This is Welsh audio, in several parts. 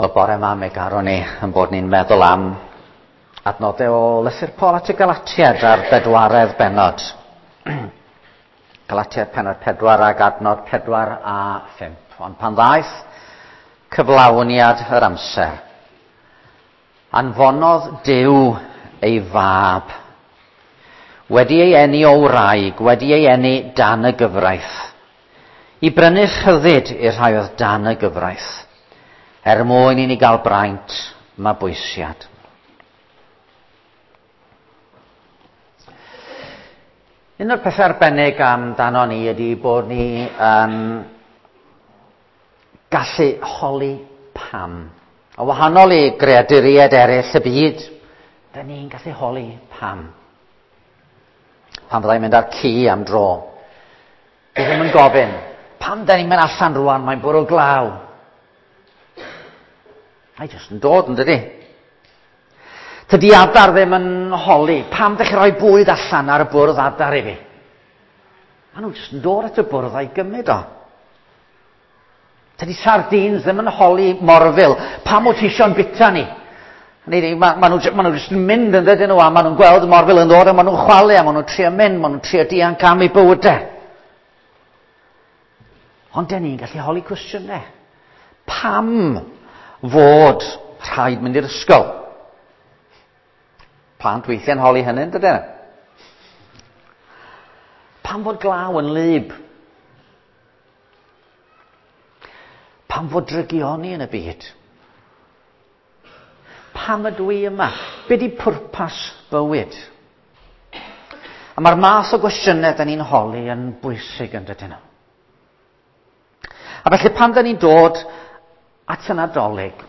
Wel, bore yma mi garwn ni yn bod ni'n meddwl am adnodau o lythyr Paul at y Galatiaid a'r bedwaredd bennod. Galatiaid pennod 4 ag adnod 4 a 5. Ond pan ddaeth cyflawniad yr amser, anfonodd Duw ei fab, wedi ei eni o wraig, wedi ei eni dan y gyfraith, i brynu rhyddid i'r rhai oedd dan y gyfraith, er mwyn i ni gael braint mabwysiad. Un o'r pethau arbennig amdano ni ydy bod ni yn gallu holi pam. A wahanol i greaduriaid eraill y byd, da ni'n gallu holi pam. Pan fyddai'n mynd â'r ci am dro, dwi ddim yn gofyn, pam da ni'n mynd allan rwan, mae'n bwrw glaw. Mae jyst yn dod, yn dydi? Tydi adar ddim yn holi, pam ddech chi rhoi bwyd allan ar y bwrdd adar i fi? Maen nhw jyst yn dod at y bwrdd a'i gymryd o. Tydi sardines ddim yn holi morfil, pam wyt ti eisiau'n bita ni? Mae ma nhw, ma nhw jyst yn mynd yn dydyn nhw, a maen nhw'n gweld y morfil yn dod, a maen nhw'n chwalu, a maen nhw'n trio mynd, maen nhw'n trio dianc am eu bywydau. Ond dyn ni'n gallu holi cwestiynau. Pam fod rhaid mynd i'r ysgol? Plant weithiau'n holi hynny, dydyn? Pam fod glaw yn lyb? Pam fod drygioni yn y byd? Pam ydw i yma? Be di pwrpas bywyd? A mae'r math o gwestiynau da ni'n holi yn bwysig yn dydyn nhw. A felly pan da ni'n dod at y Nadolig,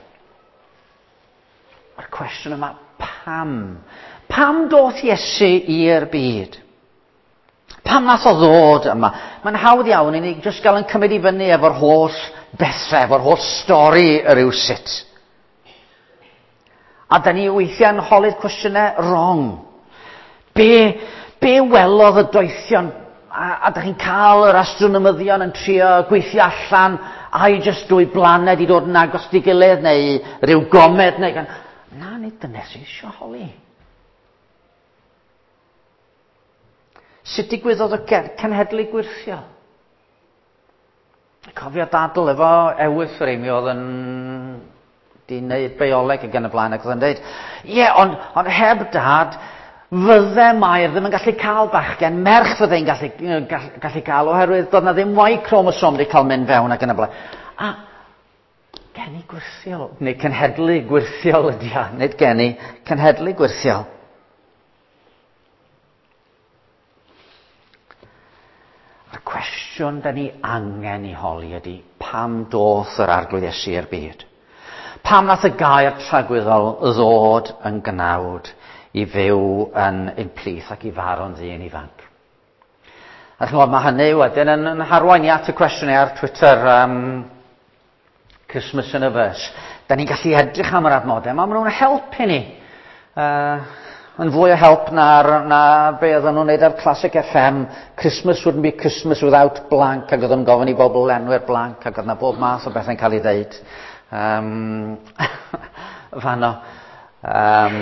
mae'r cwestiwn yma, pam? Pam doth Iesu i'r byd? Pam nath o ddod yma? Mae'n hawdd iawn i ni jyst gael yn cymryd i fyny efo'r holl bethau, efo'r holl stori yr yw sut. A da ni weithiau'n holi'r cwestiynau wrong. Be, be welodd y doethion? A, a da chi'n cael yr astronomyddion yn trio gweithio allan ai jyst dwy blaned i dod yn agos di gilydd neu rhyw gomed neu... Na, nid dyna sy'n eisiau holi. Sut digwyddodd y cenhedlu gwyrthiol? Cofio dadl efo ewythr i mi oedd yn di wneud bioleg ac yn y blaen ac oedd yn dweud, ie, yeah, ond, ond heb dad, fydde Mair ddim yn gallu cael bachgen, merch fydde'n gallu, gallu, gallu cael oherwydd doedd na ddim Y chromosome wedi cael mynd fewn ac yn y blaen. A geni gwirthiol, neu cenhedlu gwirthiol ydi o, nid geni, cenhedlu gwirthiol. A'r cwestiwn da ni angen i holi ydy, pam doth yr Arglwydd Iesu i'r byd? Pam nath y gair tragwyddol ddod yn gnawd i fyw yn ein plith ac i farw'n ddyn ifanc? A chymod, mae hynny wedyn yn, yn harwain i at y cwestiwn ar Twitter, um, Christmas in a Verse. Da ni'n gallu edrych am yr adnodau, ma' nhw'n helpu ni. Uh, yn fwy o help na'r, na be oedden nhw'n neud ar Classic FM. Christmas wouldn't be Christmas without blank, ac oedden nhw'n gofyn i bobl lenwi'r blank, ac oedd na bob math o bethau'n cael ei ddeud. Um, fanno. Um,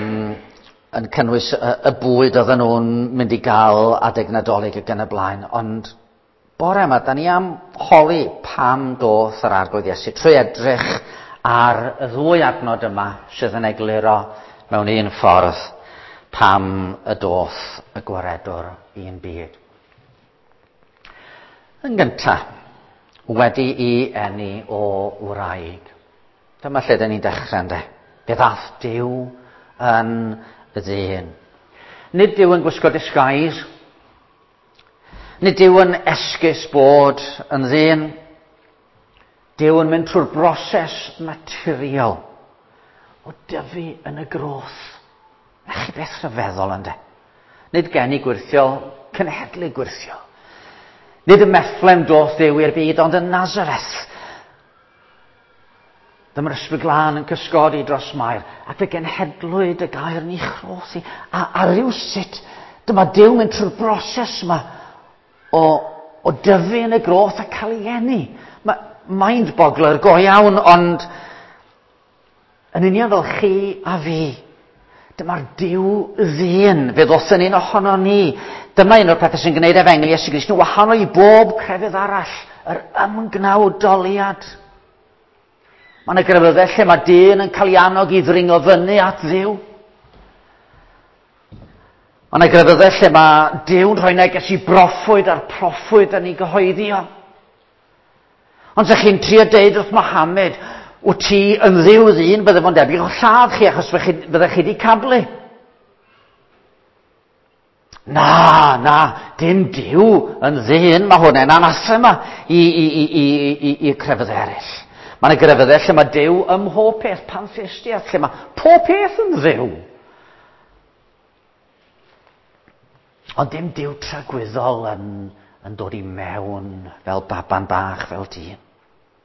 yn cynnwys y, y bwyd oedden nhw'n mynd i gael adeg Nadolig ac yn y blaen, ond Bore yma, da ni am holi pam doth yr Arglwydd Iesu trwy edrych ar y ddwy adnod yma sydd yn egluro mewn un ffordd pam y doth y gwaredwr i'n byd. Yn gyntaf, wedi i eni o wraig. Dyma lle dyn ni'n dechrau ynddo. Fe ddath Duw yn ddyn. Nid Duw yn gwisgo disguise. Nid yw yn esgus bod yn ddyn. Duw yn mynd trwy'r broses naturiol o dyfu yn y groth. Na chi beth rhyfeddol ynddo. Nid geni gwirthiol, cenhedlu gwirthiol. Nid y Methlem doth Dduw i'r byd, ond yn Nazareth. Dyma'r ysbryd glân yn cysgodi dros Mair, ac fe genhedlwyd y gair yn ei chroth i. A, a rywsut, dyma Duw mynd trwy'r broses yma o, o dyfu yn y groth a cael ei eni. Mae mind-boggler go iawn, ond Yn union fel chi a fi. Dyma'r Duw ddyn, fe ddoth yn un ohono ni. Dyma un o'r pethau sy'n gwneud efengyl Iesu Grist yn wahanol i bob crefydd arall, yr ymgnawdoliad. Mae yna grefyddau lle mae dyn yn cael ei annog i ddringo fyny at Dduw. Mae yna grefyddau lle mae Duw'n rhoi neges i broffwyd a'r proffwyd yn ei gyhoeddi o. Ond sech chi'n trio deud wrth Mohammed, wyt ti yn dduw ddyn, bydde fo'n debyg o lladd chi achos byddech chi wedi cablu. Na, na, dim Duw yn ddyn, mae hwnna'n anathema i, i, i, i, i, i crefydd eraill. Mae yna grefyddau lle mae Duw ym mhob peth, pantheistiaeth, lle mae pob peth yn Dduw. Ond dim Duw tragwyddol yn, yn dod i mewn fel baban bach, fel dyn.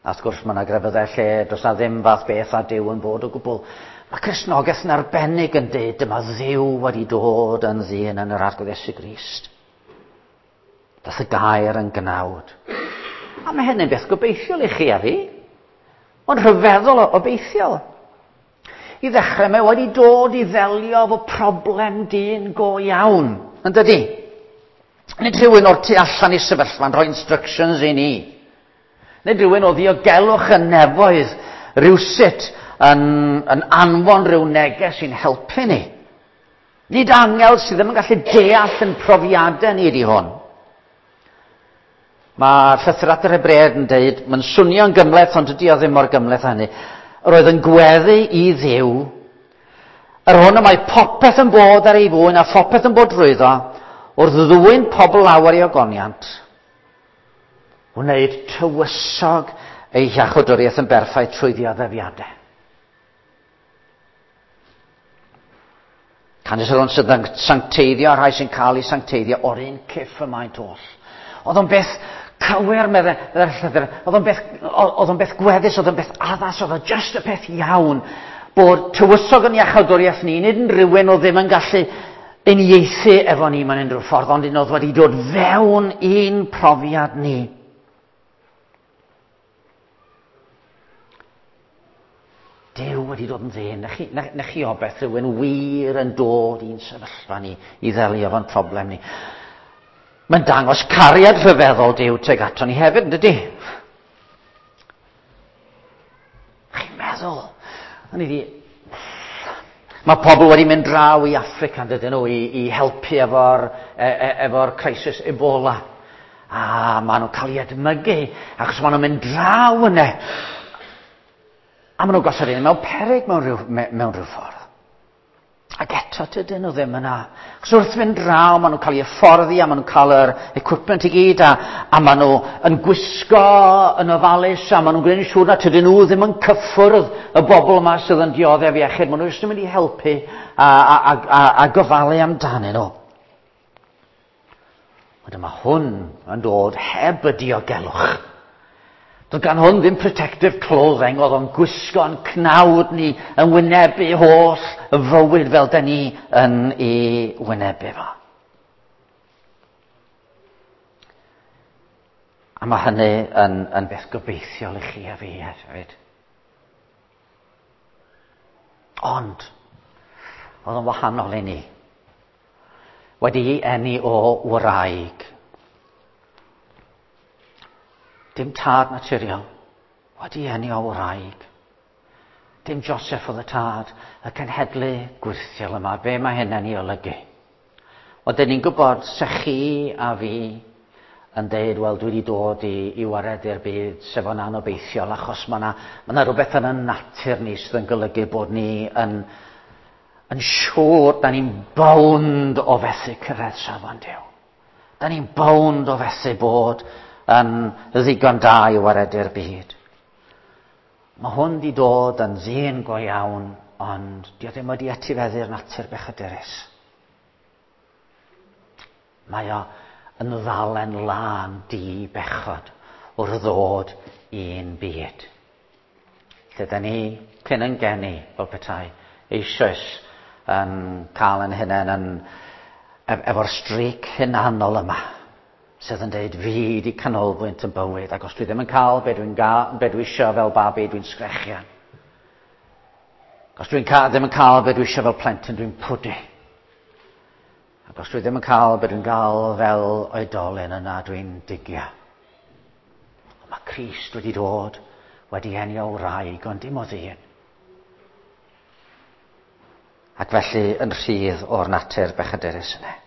A wrth gwrs mae yna grefyddau lle does na ddim fath beth â Duw yn bod o gwbl. Mae Cristnogaeth yn arbennig yn dweud dyma Dduw wedi dod yn ddyn yn yr Arglwydd Iesu Grist. Dath y gair yn gnawd. A mae hynny'n beth gobeithiol i chi a fi. Mae'n rhyfeddol o obeithiol. I ddechrau, mae wedi dod i ddelio efo problem dyn go iawn, yn dydy? Nid rhywun o'r tu allan i sefyllfa'n rhoi instructions i ni. Nid rhywun o ddiogelwch y nefoedd rhywsut yn, yn anfon rhyw neges i'n helpu ni. Nid angel sydd ddim yn gallu deall yn profiadau ni ydy hwn. Mae llythyr at yr Hebreaid yn deud, mae'n swnio'n gymhleth, ond dydy o ddim mor gymhleth â hynny. Yr oedd yn gweddu i Dduw, yr hwn y mae popeth yn bod ar ei fwyn a phopeth yn bod drwyddo, wrth ddwyn pobl lawer i ogoniant, wneud tywysog ei hiachawdwriaeth yn berffaith trwy ddioddefiadau. Canys yr hwn sydd yn sancteiddio a rhai sy'n cael eu sancteiddio o'r un cyff y maent oll. Oedd o'n beth cywir, meddai'r llythyr, oedd o'n beth, oedd o'n beth gweddus, oedd o'n beth addas, oedd o'n just y peth iawn bod tywysog yn iachawdwriaeth ni, nid yn rhywun oedd ddim yn gallu uniaethu efo ni mewn unrhyw ffordd, ond un oedd wedi dod fewn i'n profiad ni. Duw wedi dod yn ddyn. Na chi, na, na chi obeth rhywun wir yn dod i'n sefyllfa ni i ddelio efo'n problem ni. Mae'n dangos cariad rhyfeddol Duw tuag ato ni hefyd, yn dydy? Chi'n meddwl? O'n i di... Mae pobl wedi mynd draw i Affrica, yn dydyn nhw, i, i helpu efo'r e, e, efo crisis Ebola. A maen nhw'n cael eu edmygu, achos maen nhw'n mynd draw yna. A maen nhw'n gosod un mewn peryg mewn rhyw, mewn rhyw ffordd. Ac eto dydyn nhw ddim yna. Achos wrth fynd draw, maen nhw'n cael eu hyfforddi a maen nhw'n cael yr equipment i gyd a, a maen nhw yn gwisgo yn ofalus a maen nhw'n gwneud yn siŵr na tydyn nhw ddim yn cyffwrdd y bobl yma sydd yn dioddef iechyd. Maen nhw jyst yn mynd i helpu a, a, a, a, a gofalu amdanyn nhw. Ond dyma hwn yn dod heb y diogelwch. Doedd gan hwn ddim protective clothing, oedd o'n gwisgo'n cnawd ni yn wynebu holl y fywyd fel da ni yn ei wynebu fo. A mae hynny yn, yn beth gobeithiol i chi a fi hefyd. Ond, oedd o'n wahanol i ni. Wedi'i eni o wraig. Dim tad naturiol. Wedi eni o wraig. Dim Joseph oedd y tad, y cenhedlu gwyrthiol yma. Be mae hynny'n ei olygu? Wel, dyn ni'n gwybod, se chi a fi yn deud, wel, dwi wedi dod i, i waredu'r byd, sef o'n anobeithiol, achos mae yna ma rhywbeth yn y natur ni sydd yn golygu bod ni yn, yn siŵr, da ni'n bownd o fethu cyrraedd safon Duw. Da ni'n bownd o fethu bod yn ddigon da i waredu'r byd. Mae hwn di dod yn ddyn go iawn, ond di o ddim wedi etifeddu'r natur bechadurus. Mae o yn ddalen lân di bechod wrth ddod i'n byd. Lle da ni, cyn yn geni, fel petai, eisoes yn cael yn hunain yn, efo'r streak hunanol yma, sydd yn deud fi di canolbwynt yn bywyd, ac os dwi ddim yn cael be dwi'n be dwi isio fel babi, dwi'n sgrechian. Os dwi'n cael, ddim yn cael be dwi eisiau fel plentyn, dwi'n pwdu. Ac os dwi ddim yn cael be dwi'n gael fel oedolyn yna, dwi'n digio. Ond mae Crist wedi dod, wedi eni o wraig, ond dim o ddyn. Ac felly yn rhydd o'r natur bechadurus yna.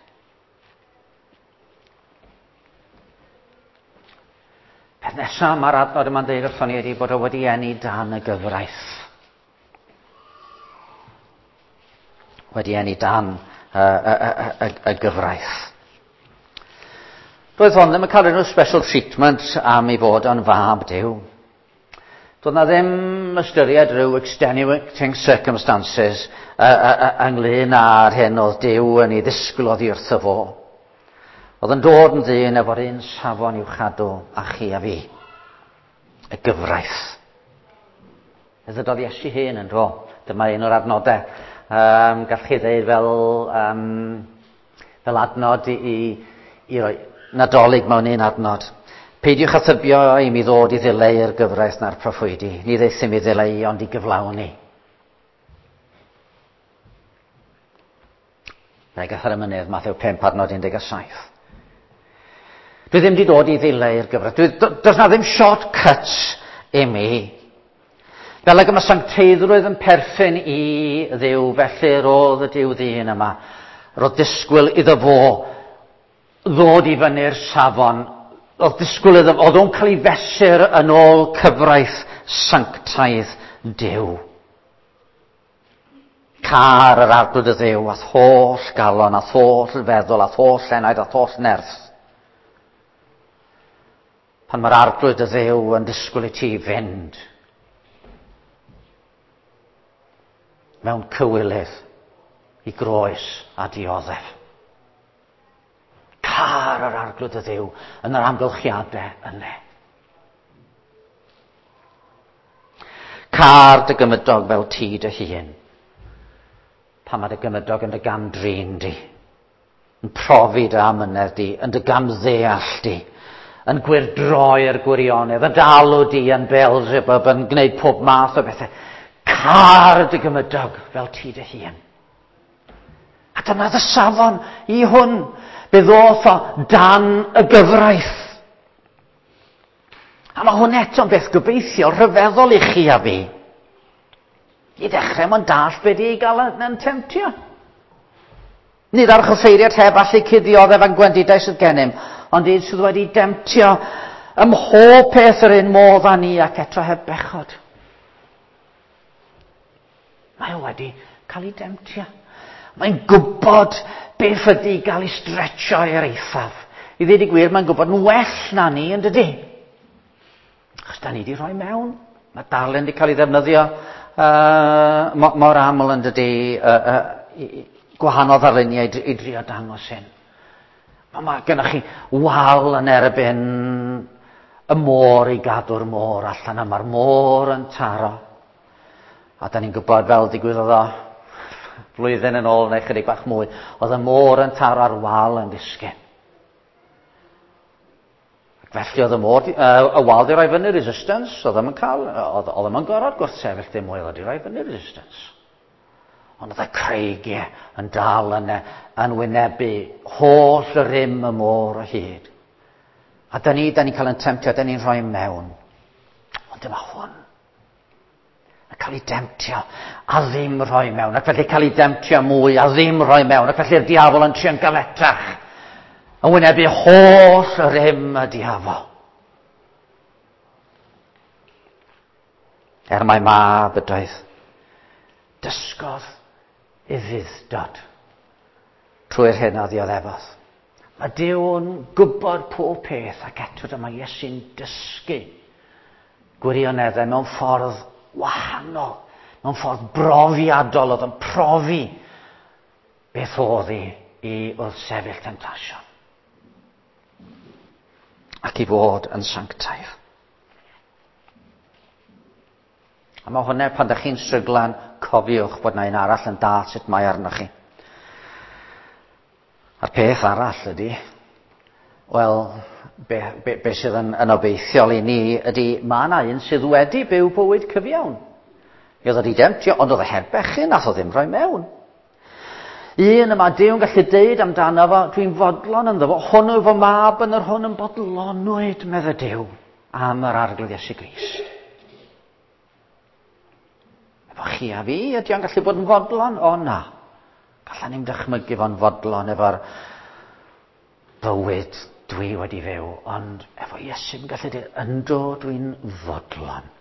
Peth nesaf mae'r adnod yma'n dweud wrthon ni ydy bod o wedi eni dan y gyfraith. Wedi eni dan y, y, y, y, y gyfraith. Doedd hon ddim yn cael unrhyw special treatment am ei fod o'n fab Duw. Doedd na ddim ystyried rhyw extenuating circumstances uh, uh, uh, ynglyn â'r hyn oedd Duw yn ei ddisgwyl oddi wrtho fo. Oedd yn dod yn ddyn efo'r un safon i'w chadw a chi a fi. Y gyfraith. Fe ddydodd Iesu hun yn dro. Dyma un o'r adnodau. Um, gall chi ddeud fel, um, fel adnod i, i, i roi Nadolig mewn un adnod. Peidiwch â thybio i mi ddod i ddileu'r gyfraith na'r proffwydi. Ni ddaethum i ddileu ond i gyflawni. Pregeth ar y mynydd, Mathew 5, adnod 17. Dwi ddim wedi dod i ddileu'r gyfraith. Dwi, does na ddim shortcuts i mi. Fel ag y mae sancteiddrwydd yn perthyn i Dduw, felly roedd y Duw ddyn yma. Roedd disgwyl iddo fo ddod i fyny'r safon. Roedd disgwyl iddo, oedd o'n cael ei fesur yn ôl cyfraith sanctaidd Duw. Car yr arglwydd y Dduw a'th holl galon, a'th holl feddwl, a'th holl enaid, a'th holl nerth. Pan mae'r arglwydd y Dduw yn disgwyl i ti fynd mewn cywilydd i groes a dioddef. Car yr arglwydd y Dduw yn yr amgylchiadau yna. Car dy gymydog fel ti dy hun. Pan mae dy gymydog yn dy gam-drin di, yn profi dy amynedd di, yn dy gamddeall di, yn gwyrdroi'r gwirionedd, yn dalw di yn Beelzebub, yn gwneud pob math o bethau. Car dy gymydog fel ti dy hun. A dyna dy safon i hwn. Fe ddoth o dan y gyfraith. A mae hwn eto'n beth gobeithiol rhyfeddol i chi a fi. I ddechrau, mae'n dall be di ei gael yn temtio. Nid ar chyffeiriad heb allu cuddioddef a'n gwendidau sydd gennym, ond un sydd wedi demtio ym mhob peth yr un modd â ni ac eto heb bechod. Mae o wedi cael ei demtio. Mae'n gwybod beth ydy gael ei stretcho i'r eithaf. I ddweud y gwir, mae'n gwybod yn well na ni, yn dydy? Achos da ni wedi rhoi mewn. Mae darlun wedi cael ei ddefnyddio uh, mor aml yn dydy, uh, uh, gwahanol ddarluniau i, i drio dangos hyn. Mae, mae gennych chi wal yn erbyn y môr i gadw'r môr allan, a mae'r môr yn taro. A da ni'n gwybod fel digwyddodd o flwyddyn yn ôl neu chydig bach mwy, oedd y môr yn taro ar wal yn disgyn. Ac felly oedd y môr, uh, y wal di roi fyny resistance, oedd ddim yn cael, oedd, oedd ddim yn gorfod gwrthsefyll dim mwy, oedd di roi fyny resistance. Ond oedd y creigiau yn dal yn, yn wynebu holl rym y môr o hyd. A da ni, da ni'n cael yn temtio, da ni'n rhoi mewn. Ond dyma hwn. A cael ei demtio a ddim rhoi mewn. Ac felly cael ei demtio mwy a ddim rhoi mewn. Ac felly'r diafol yn trio'n galetach. Yn wynebu holl rym y diafol. Er mai mab ydoedd, dysgodd ufudd-dod trwy'r hyn a ddioddefodd. Mae Duw'n gwybod pob peth ac eto dyma Iesu'n dysgu gwirioneddau mewn ffordd wahanol, mewn ffordd brofiadol, oedd yn profi beth oedd i i wrthsefyll temtasiwn ac i fod yn sanctaidd. A mae hwnna, pan ydych chi'n stryglan, cofiwch bod na un arall yn dall sut mae arnoch chi. A'r peth arall ydy, wel, be, be, be sydd yn, yn obeithiol i ni ydy, mae yna un sydd wedi byw bywyd cyfiawn. Mi oedd o wedi demtio, ond oedd e heb bechu, nath o ddim rhoi mewn. Un y mae Duw yn gallu deud amdano fo, dwi'n fodlon ynddo fo, hwn yw fy mab yn yr hwn yn bodlonwyd, medde Duw, am yr Arglwydd Iesu Grist. Efo chi a fi, ydy o'n gallu bod yn fodlon? O na. Gallan ni'n dychmygu fo'n fodlon efo'r bywyd dwi wedi fyw, ond efo Iesu'n gallu dweud, ynddo dwi'n fodlon.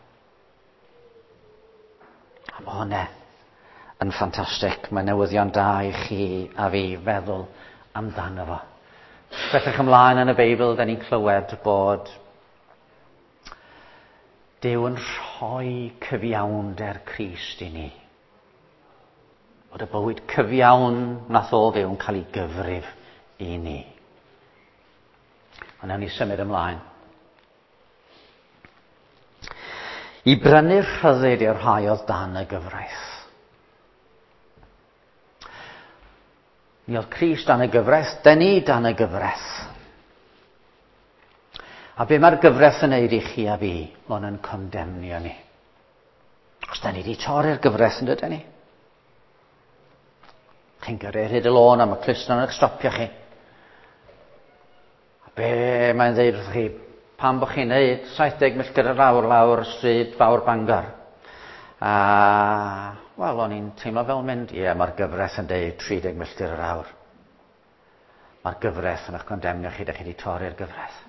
A mae hwnna yn ffantastig. Mae newyddion da i chi a fi feddwl amdano fo. Bellach ymlaen yn y Beibl, da ni'n clywed bod Duw yn rhoi cyfiawnder Crist i ni. Bod y bywyd cyfiawn nath o fyw yn cael ei gyfrif i ni. Ond nawn ni symud ymlaen. I brynu rhyddid i'r rhai oedd dan y gyfraith. Mi oedd Crist dan y gyfraith, dyn ni dan y gyfraith. A be mae'r gyfraith yn neud i chi a fi? Mae'n yn condemnio ni. Os da ni wedi torri'r gyfraith yn dydyn ni? Chi'n gyrru ar hyd y lôn a mae clustog yn eich stopio chi. A be mae'n dweud wrth chi? Pam bod chi'n neud 70 milltir yr awr lawr stryd fawr Bangor? A, wel, o'n i'n teimlo fel mynd, ie, mae'r gyfraith yn deud 30 milltir yr awr. Mae'r gyfraith yn eich condemnio chi, da chi wedi torri'r gyfraith.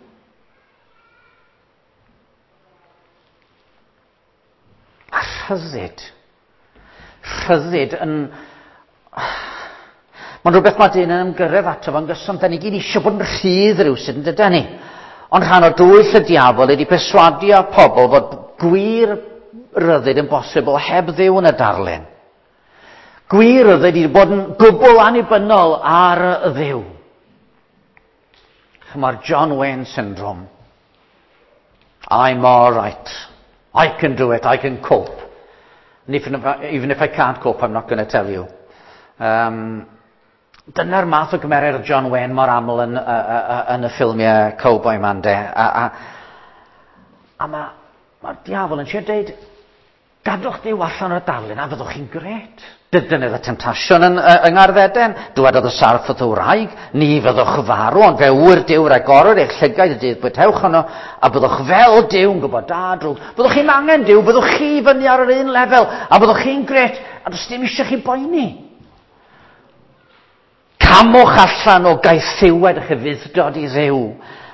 A rhyddid. Rhyddid yn... Mae'n rhywbeth mae dyn yn ymgyrraedd ato fo'n gyson. Da ni gyd eisiau bod yn rhydd rhywsut, yn dydan ni? Ond rhan o dwyll y diafol ydy perswadio pobl fod gwir ryddid yn bosibl heb Dduw yn y darlun. Gwir ryddid ydy bod yn gwbl annibynnol ar y Dduw. Mae'r John Wayne syndrome. I'm all right. I can do it. I can cope. And even if I can't cope, I'm not going to tell you. Dyna'r math o gymeriad o John Wayne mor aml yn y ffilmiau cowboy man de. A mae'r ma diafol yn siarad deud, gadwch Duw allan o'r darlun a fyddwch chi'n gret. Dyna y temtasiwn yng Ngardd Eden. Dywedodd y sarff wrth y wraig, ni fyddwch farw, ond fe ŵyr Duw ragorwr eich llygaid y dydd bwytewch yno, a byddwch fel Duw yn gwybod da drwg. Byddwch chi'n angen Duw, byddwch chi fyny ar yr un lefel, a byddwch chi'n gret, a does dim eisiau chi boeni. Camwch allan o gaethiwed eich ufudd-dod i Dduw,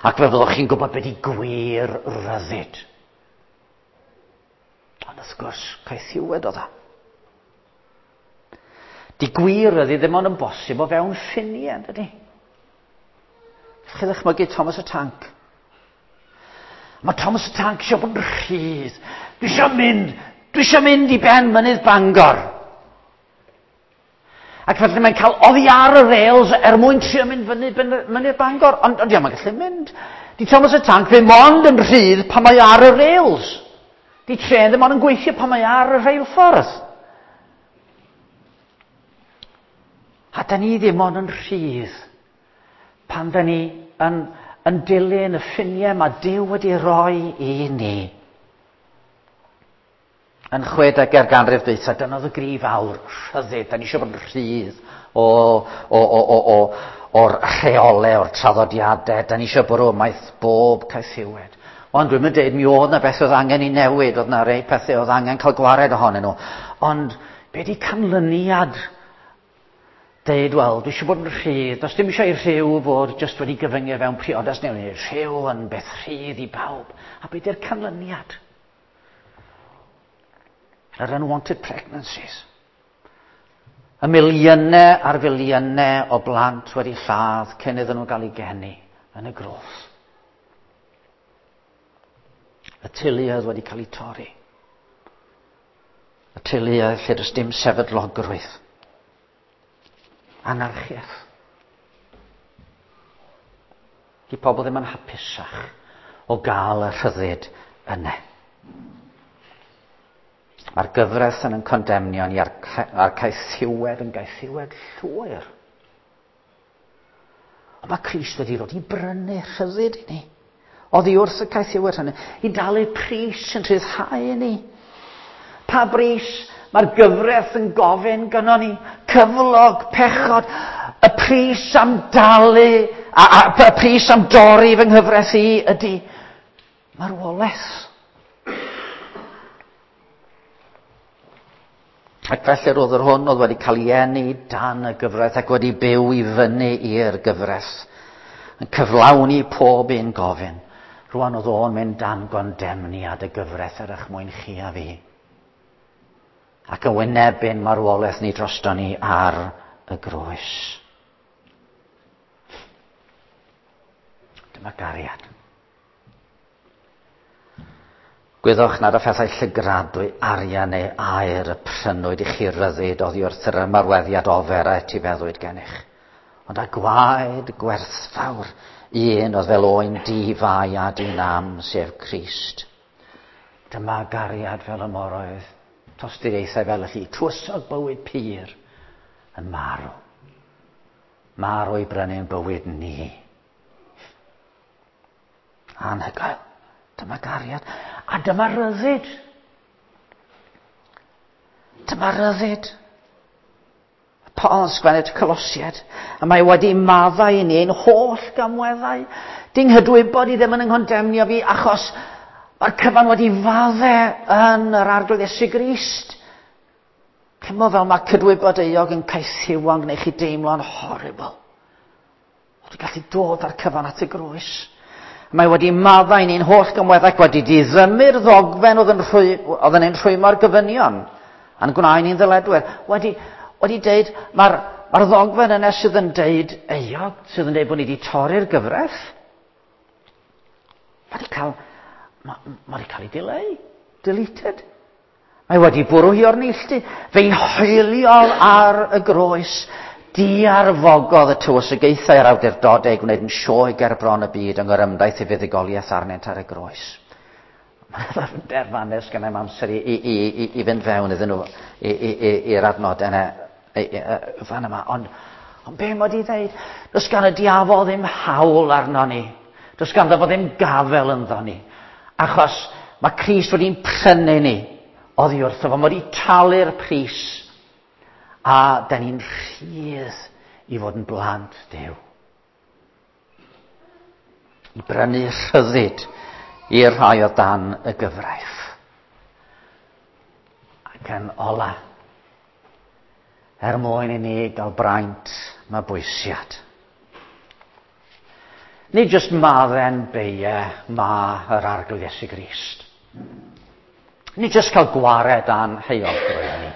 ac fe fyddwch chi'n gwybod beth i gwir ryddid. Ond wrth gwrs, caethiwed oedd o. Di gwir ryddid ddim ond yn bosib o fewn ffiniau, dydy? Chi ddychmygu Thomas y Tank. Mae Thomas y Tank eisiau bod yn rhydd. Dwi eisiau mynd i ben mynydd Bangor. Ac felly mae'n cael oddi ar y rails er mwyn trio mynd fyny mynydd Bangor. Ond ia, mae'n gallu mynd. Di Thomas y Tank ddim ond yn rhydd pan mae ar y rails. Di trên ddim ond yn gweithio pan mae ar y rheilffordd. A da ni ddim ond yn rhydd pan da ni yn dilyn y ffiniau mae Duw wedi rhoi i ni. Yn 60au'r ganrif dwytha, dyna oedd y gri fawr, rhyddid. Da ni eisiau bod yn rhydd o'r rheolau, o'r traddodiadau. Da ni eisiau bwrw ymaith bob caethiwed. Ond dwi'n mynd dweud, mi oedd na beth oedd angen i newid, oedd na rei pethau oedd angen cael gwared ohonyn nhw. Ond be di canlyniad? Deud, wel, dwi eisiau bod yn rhydd. Does dim eisiau i rhyw fod jyst wedi gyfyngu fewn priodas neu rhyw yn beth rhydd i bawb. A be di'r canlyniad? Yr unwanted pregnancies. Y miliynau ar filiynau o blant wedi lladd cyn iddyn nhw gael eu geni yn y groth. Y teuluoedd wedi cael eu torri. Y teuluoedd lle does dim sefydlogrwydd. Anarchiaeth. Di pobl ddim yn hapusach o gael y rhyddid yna. Mae'r gyfraith yn condemnio ni a'r caethiwed yn gaethiwed llwyr. Ond mae Crist wedi dod i brynu rhyddid i ni. Oddi wrth y caethiwed hynny, i dalu pris yn rhyddhau ni. Pa bris? Mae'r gyfraith yn gofyn gynnon ni, cyflog, pechod, y pris am dalu, a y pris am dorri fy nghyfraith i ydy marwolaeth. Ac felly roedd yr hwn oedd wedi cael ei eni dan y gyfraith ac wedi byw i fyny i'r gyfraith, yn cyflawni pob un gofyn. Rwan oedd o'n mynd dan gondemniad y gyfraith er eich mwyn chi a fi. Ac yn wynebu'n marwolaeth ni drosto ni ar y groes. Dyma gariad. Gwyddwch nad y phethau llygradwy, arian neu aer y prynwyd i chi ryddid oddi wrth yr ymarweddiad ofer a etifeddwyd gennych. Ond â gwaed gwerthfawr un oedd fel oen di-fai a di-nam, sef Crist. Dyma gariad fel y moroedd, tosturiaethau fel y llu, tywysog bywyd pur yn marw. Marw i brynu'n bywyd ni. Anhygoel. Dyma gariad. A dyma ryddid. Dyma ryddid. Paul yn sgwennu at Colosiaid, a mae wedi maddau i ni ein holl gamweddau. Dyn nghydwybod i ddim yn yng fi, achos mae'r cyfan wedi fadde yn yr Arglwydd Iesu Grist. Cymod fel mae cydwybod euog yn caethiwo'n gwneud chi deimlo'n horrible. Wedi gallu dod â'r cyfan at y groes. Mae wedi maddau ni'n holl gymweddau ac wedi diddymu'r ddogfen oedd yn, rhwy, oedd yn ein rhwymo'r gofynion a'n gwnaed ni'n ddyledwyr. Wedi, wedi deud, mae'r mae ddogfen yna sydd yn deud euog, sydd yn deud bod ni wedi torri'r gyfraith, mae wedi cael, mae, mae wedi cael ei dileu, deleted. Mae wedi bwrw hi o'r neilltu. Fe'i hoeliodd ar y groes. Diarfogodd y tywysogaethau a'r awdurdodau gwneud yn sioe ger bron y byd yng ngorymdaith ei fuddugoliaeth arnynt ar y groes. Mae'n ddyfnder fanes gen i'm amser i, i, i, i, i fynd fewn iddyn nhw i'r adnod yna fan yma. Ond, ond be mae wedi dweud? Does gan y diafol ddim hawl arno ni. Does ganddo fo ddim gafel ynddo ni. Achos mae Crist wedi'n prynu ni oddi wrtho fo. Mae wedi talu'r pris. A da ni'n rhydd i fod yn blant Duw. I brynu rhyddid i'r rhai o dan y gyfraith. Ac yn ola, er mwyn i ni gael braint mabwysiad. Nid jyst madden beie ma yr Arglwydd Iesu Grist. Nid jyst cael gwared a'n heuogrwydd ni.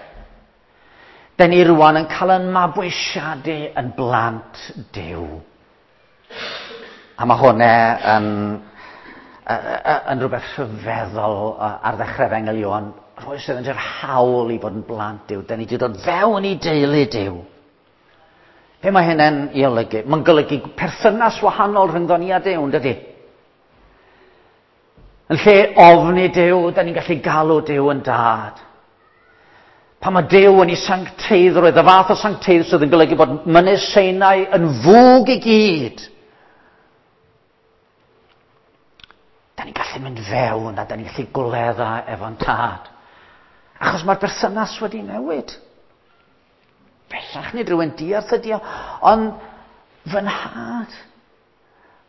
Den ni rwan yn cael yn mabwysiadu yn blant Duw. A mae hwnna yn, yn rhywbeth rhyfeddol ar ddechrau Efengyl Ioan. Rhoi sydd yn yr hawl i fod yn blant Duw. Den ni wedi dod fewn i deulu Duw. Be mae hynny'n ei olygu? Mae'n golygu perthynas wahanol rhyngddo ni a Duw, yn dydy? Yn lle ofni Duw, da ni'n gallu galw Duw yn dad. Pan mae Duw yn ei sancteiddrwydd, y fath o sancteidd sydd yn golygu bod mynydd Sinai yn fwg i gyd. Da ni'n gallu mynd fewn a da ni'n gallu gwledda efo'n tad. Achos mae'r berthynas wedi newid. Bellach nid rhywun diarth ydi o, ond fy nhad.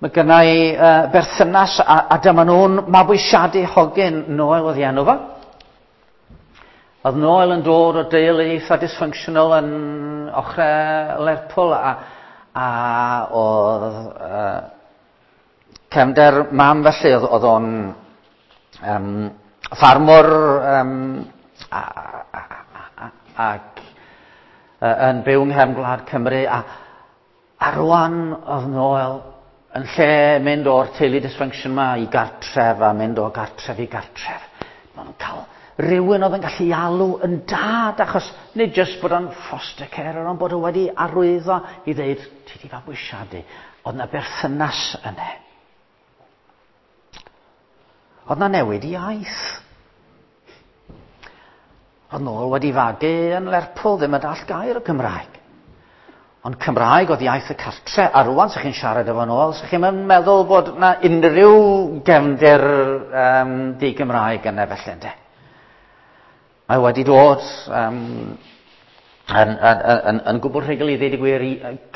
Mae gynna i uh, berthynas a, a dyma nhw'n mabwysiadu hogyn Noel oedd ei enw fo. Oedd Noel yn dod o deulu eitha dysfunctional yn ochrau Lerpwl a, a oedd uh, cefnder mam felly oedd, oedd o'n um, ffarmwr um, a, a, a, ac uh, yn byw yng nghefn gwlad Cymru a, a rwan oedd Noel yn lle mynd o'r teulu dysfunction ma i gartref a mynd o gartref i gartref. Maen nhw'n cael rhywun oedd yn gallu alw yn dad, achos nid jyst bod o'n foster carer, ond bod o wedi arwyddo i ddeud, ti di fabwysiadu. Oedd na berthynas yna. Oedd na newid iaith. Oedd nôl wedi fagu yn Lerpwl, ddim yn dall gair o Gymraeg. Ond Cymraeg oedd iaith y cartre, a rwan sa'ch chi'n siarad efo nôl, sa'ch chi'n meddwl bod na unrhyw gefndir um, di-Gymraeg yna felly, ynddo. Mae wedi dod yn, yn, yn, yn gwbl rhugl i ddweud y gwir,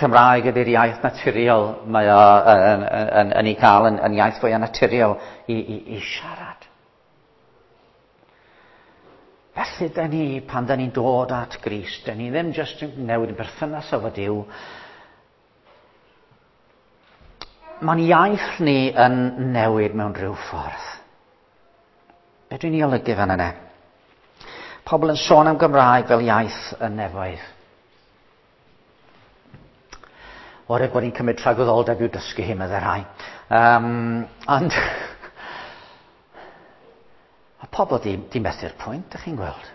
Cymraeg ydy'r iaith naturiol mae o yn, yn, yn, yn ei cael yn, yn iaith fwyaf naturiol i, i, i siarad. Felly, da ni, pan da ni'n dod at Grist, da ni ddim jyst yn newid yn berthynas efo Duw. Mae'n iaith ni yn newid mewn rhyw ffordd. Be dwi'n ei olygu fan yna? Pobl yn sôn am Gymraeg fel iaith y nefoedd. O'r bod ni'n cymryd tragwyddoldeb i'w dysgu hi, meddai rhai. Ond a pobl di, di methu'r pwynt, ydych chi'n gweld.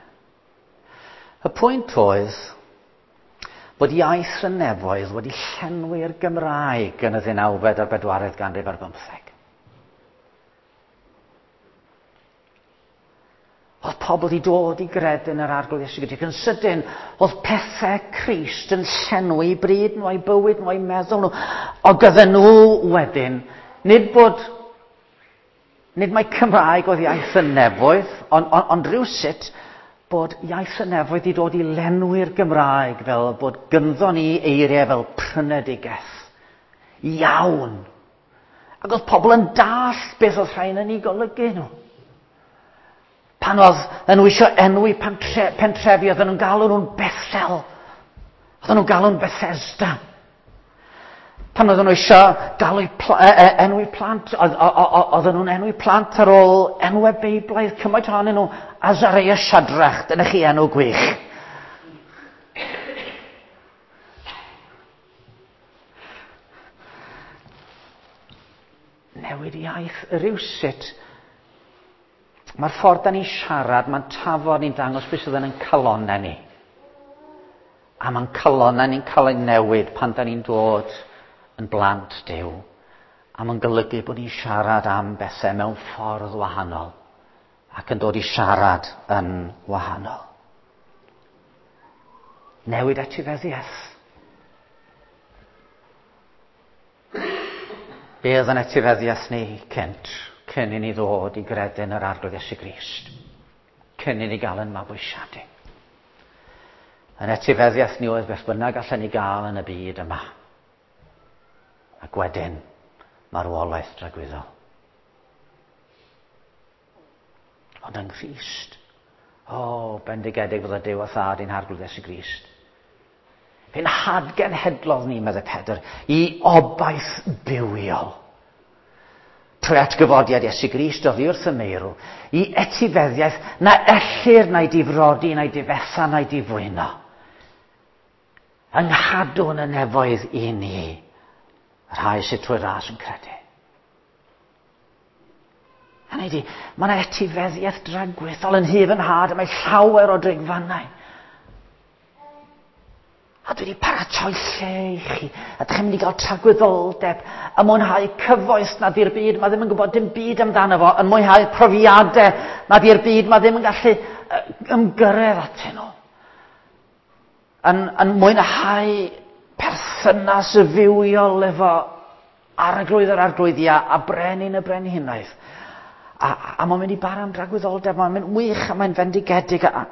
Y pwynt oedd bod iaith y nefoedd wedi llenwi'r Gymraeg yn y ddeunawfed a'r bedwaredd ganrif ar bymtheg. Oedd pobl wedi dod i gredu yn yr Arglwydd Iesu Grist. Ac yn sydyn, oedd pethau Crist yn llenwi bryd nhw, a'i bywyd nhw, a'i meddwl nhw. O gydden nhw wedyn, nid bod, nid mai Cymraeg oedd iaith y nefoedd, ond on, on rhywsut bod iaith y nefoedd wedi dod i lenwi'r Gymraeg fel bod gynddo ni eiriau fel prynedigaeth. Iawn. Ac oedd pobl yn dallt beth oedd rhain yn ei golygu nhw. Pan oedd nhw eisiau enwi pentre, pentrefi, oedden nhw'n galw nhw'n Bethel. Oedden nhw'n galw nhw'n Bethesda. Pan oedden nhw eisiau galw pla, e, e, enwi plant, oedden nhw'n enwi plant ar ôl enwau Beiblaidd, cymaint ohonyn nhw, Azariah Shadrach, dyna chi enw gwych. Newid iaith rywsut. Mae'r ffordd da ni'n siarad, mae'n tafod ni'n dangos beth sydd yn ein calonnau ni. A mae'n calonnau ni'n cael ei newid pan da ni'n dod yn blant Duw. A mae'n golygu bod ni'n siarad am bethau mewn ffordd wahanol. Ac yn dod i siarad yn wahanol. Newid etifeddiaeth. Be oedd yn etifeddiaeth ni cynt, cyn i ni ddod i gredu yn yr Arglwydd Iesu Grist, cyn i ni gael yn mabwysiadu. Yn etifeddiaeth ni oedd beth bynnag allan ni gael yn y byd yma. Ac wedyn, marwolaeth dragwyddol. Ond yng Nghrist, o, oh, bendigedig fod y Duw a Thad i'n Harglwydd Iesu Grist. Fe'n hadgenhedlodd ni, meddai Pedr, i obaith bywiol. Trwy atgyfodiad Iesu Grist oddi wrth y meirw, i etifeddiaeth na ellir na'i difrodi, na'i difetha, na'i difwyno. Yng nghadw'n y nefoedd i ni, rhai sydd trwy ras yn credu. Hynny ydi, mae yna etifeddiaeth dragwyddol yn hyf yn had, a mae llawer o drigfannau. A dwi wedi paratoi lle i chi, a dych chi'n mynd i gael tragwyddoldeb, a mwynhau cyfoes na di'r byd, mae ddim yn gwybod dim byd amdano fo, yn mwynhau profiadau na di'r byd, mae ddim yn gallu ymgyrraedd atyn nhw. Yn, yn mwynhau perthynas y fywiol efo Arglwydd yr arglwyddiau a brenin y brenhinoedd. A, a mae'n mynd i bara am dragwyddoldeb, mae'n mynd wych a mae'n fendigedig a,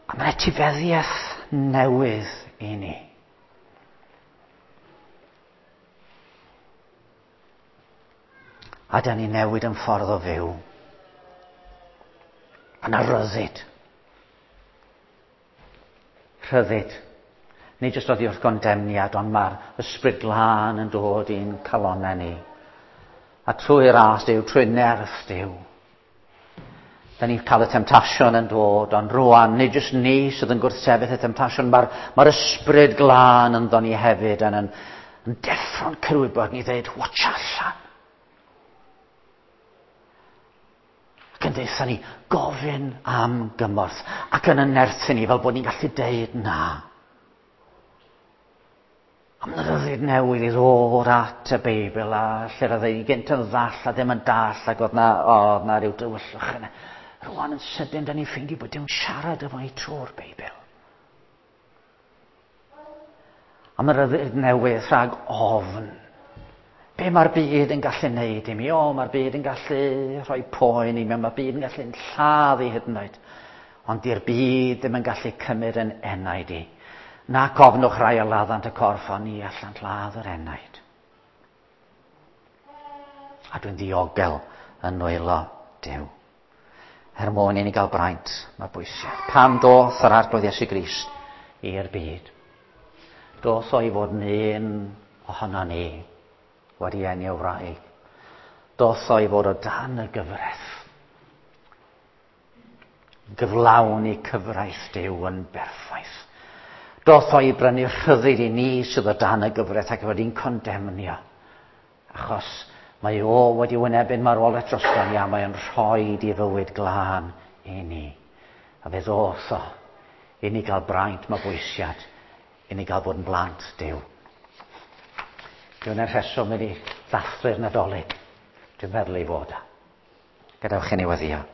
a mae'n etifeddiaeth newydd i ni. A da ni newid yn ffordd o fyw. Yna ryddid. Rhyddid. Nid jyst oddi wrth gondemniad, ond mae'r ysbryd glân yn dod i'n calonnau ni. A trwy ras Duw, trwy nerth Duw, da ni'n cael y temtasiwn yn dod, ond rwan, nid jyst ni sydd yn gwrthsefyll y temtasiwn, mae'r mae ysbryd glân ynddo ni hefyd yn, yn, yn deffro'n cyrwybod ni ddweud, watch allan. Ac yn deutha ni, gofyn am gymorth, ac yn ynerthu ni fel bod ni'n gallu deud na. Am ryddid newydd i ddod at y Beibl a lle roedd ei gynt yn ddall a ddim yn dall ac oedd na, oedd na rhyw dywyllwch yna. Rwan yn sydyn, da ni'n ffeindio bod Duw'n siarad efo ni trwy'r Beibl. Am y ryddid newydd rhag ofn. Be mae'r byd yn gallu neud i mi? O, mae'r byd yn gallu rhoi poen i mi, mae'r byd yn gallu lladd i hyd yn oed. Ond di'r byd ddim yn gallu cymryd yn enaid i. Na cofnwch rai a laddant y corff, ond ni allant ladd yr enaid. A dwi'n ddiogel yn nwylo Duw. Er mwyn i ni gael braint, mae bwysiad. Pam doth yr Arglwydd Iesu Grist i'r byd? Doth o i fod yn un ohono ni, wedi eni o wraig. Doth o i fod o dan y gyfraith. Gyflawni cyfraith Duw yn berffaith. Doth o i brynu rhyddid i ni sydd o dan y gyfraith ac wedi'n condemnio. Achos mae o wedi wynebu'n marwolaeth drosto ni a mae o'n rhoi i fywyd glân i ni. A fe ddoth o i ni gael braint mabwysiad, i ni gael bod yn blant Duw. Dwi'n rheswm i ni ddathlu'r Nadolig. Dwi'n meddwl ei fod o. Gadewch i ni weddio.